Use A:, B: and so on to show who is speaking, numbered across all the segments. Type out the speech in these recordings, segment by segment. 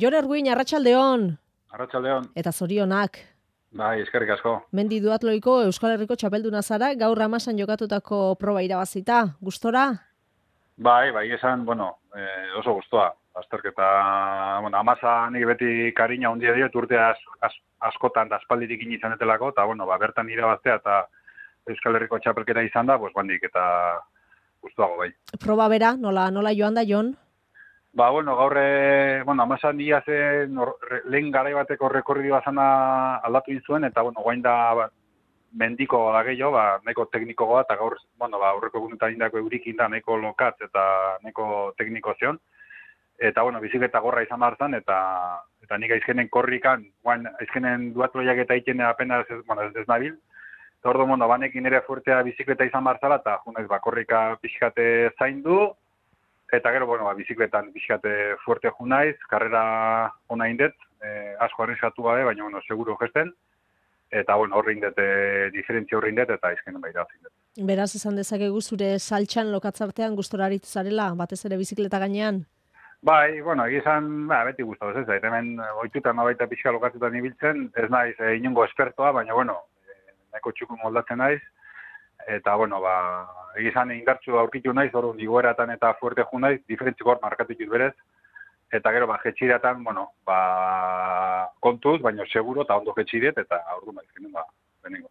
A: Jon Erguin, arratsaldeon.
B: Arratsaldeon.
A: Eta zorionak.
B: Bai, eskerrik asko.
A: Mendi duatloiko Euskal Herriko txapelduna zara, gaur Amasan jokatutako proba irabazita. Gustora?
B: Bai, esan, oso gustoa. Azterketa, Amasa nik beti kariña handia diot urte askotan da aspalditik izanetelako, eta, bertan irabaztea eta Euskal Herriko txapelketa izan da, bandik eta gustoago bai.
A: Proba bera, nola joan da, Jon?
B: Gaur, Amasan ia zen lehen garai bateko rekorridoa zana aldatu zuen, eta, guain da mendiko da gehiago, neko teknikoa, eta gaur, aurreko egunetan indako eurikin da, neko lokatz eta neko tekniko zion. Eta, bizikleta gorra izan behar zen, eta nik aizkenen korrikan, aizkenen duatloiak eta iten apenas ez nabil. Eta ordo, banekin ere fuertea bizikleta izan behar zela, eta junez, korrika pixkate zaindu, eta gero, bizikletan pixkate fuerte junaiz, karrera hona indet, asko arriskatu gabe, baina, seguro gesten, eta, horre indet, diferentzia horre indet, eta aizkenen baira zindet.
A: Beraz, esan dezakegu zure saltxan lokatzartean gustora aritu zarela, batez ere bizikleta gainean?
B: Bai, egizan, beti guztauz ez, hemen oitutan baita pixka lokatzetan ibiltzen, ez naiz inongo espertoa, baina, nahiko txukun moldatzen naiz, eta, egizan indartsu aurkitu naiz, orduan igoeratan eta fuerte ju naiz, diferentziko hor markatu ditut berez, eta gero, jetxiratan, kontuz, baina seguro eta ondo jetxiret, eta orduan lehenengo.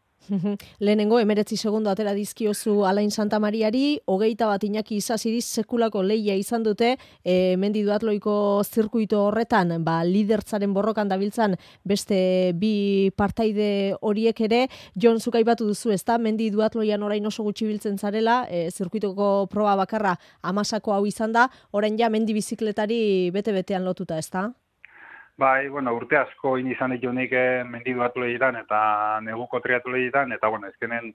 A: Lehenengo, 19 segundo atera dizkiozu Alain Santamariari, 21 Iñaki Isasiriz sekulako lehia izan dute, Mendi duatloiko zirkuito horretan, lidertzaren borrokan dabiltzan beste bi partaide horiek ere, Jon, zuk aipatu duzu, ezta? Mendi duatloian orain oso gutxi biltzen zarela, zirkuitoko proba bakarra Amasako hau izan da, orain ja mendi bizikletari bete-betean lotuta, ezta?
B: Bai, urte asko izan ditu nik mendi duatloietan eta neguko triatloietan, eta, ezkenen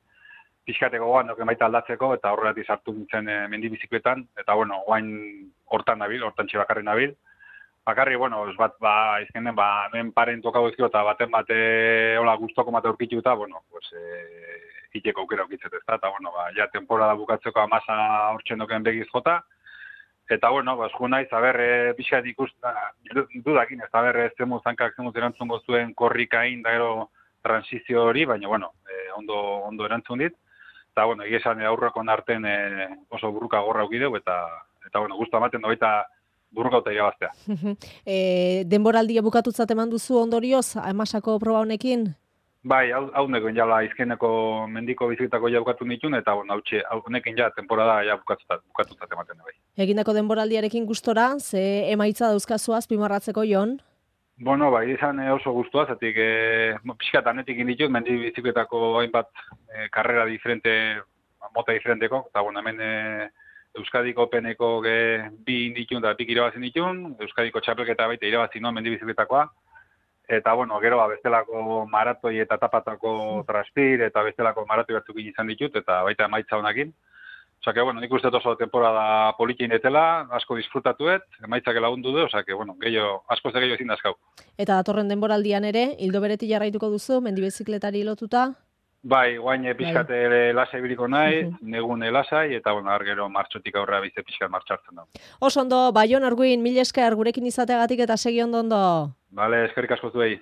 B: pixkateko goan doken baita aldatzeko, eta horretik sartu nintzen mendi bizikletan, eta, guain hortan nabil, hortan txebakarri nabil. Bakarri, ez bat, ezkenen, nuen paren tokago ezkio, eta baten bate, guztoko mate aurkitu eta, hiteko aukera aukitzet ez da, eta, ja temporada bukatzeko Amasa hortzen doken begiz jota, eta, ju naiz, pixkat dudakin, ez ez zemu zankak zemu erantzungo zuen korrikain, da gero transizio hori, baina, ondo erantzun dit. Eta, egizan aurrakon arten oso burruka gorra aukideu, eta guztu amaten da baita burruka eta irabaztea.
A: Denboraldia bukatutzat eman duzu ondorioz, Amasako proba honekin?
B: Bai, hau nekoen jala izkeneko mendiko bizikletako ja bukatu nituen, eta honekin ja temporada ja bukatutzat ematen da bai.
A: Egindako denboraldiarekin gustora, ze emaitza dauzkazu azpimarratzeko, Jon?
B: Izan oso gustua, zatik pixkat anetik inditut, mendi bizikletako hainbat karrera diferente, mota diferenteko, eta hemen Euskadiko Openeko bi inditun eta bik irabazin ditun, Euskadiko txapelketa baita irabazin nuen mendi bizikletakoa, eta, gero, bestelako maratoi eta tapatako traspir, eta bestelako maratoi batzukin izan ditut, eta baita emaitza honakin. Osake, nik uste oso temporada polikin etela, asko disfrutatuet, emaitzak lagundu du, gehiago, asko ze gehiago ezin dazkau.
A: Eta datorren denboraldian ere, hildo beretik jarraituko duzu, mendi bizikletari lotuta?
B: Bai, guain pixkate lasai biriko nahi, negun lasai, eta, gero martxotik aurrera bize pixkat martxartzen da.
A: Oso ondo, Jon Erguin, mila esker gurekin izateagatik eta segi ondo.
B: Bale, eskerrik asko zuei.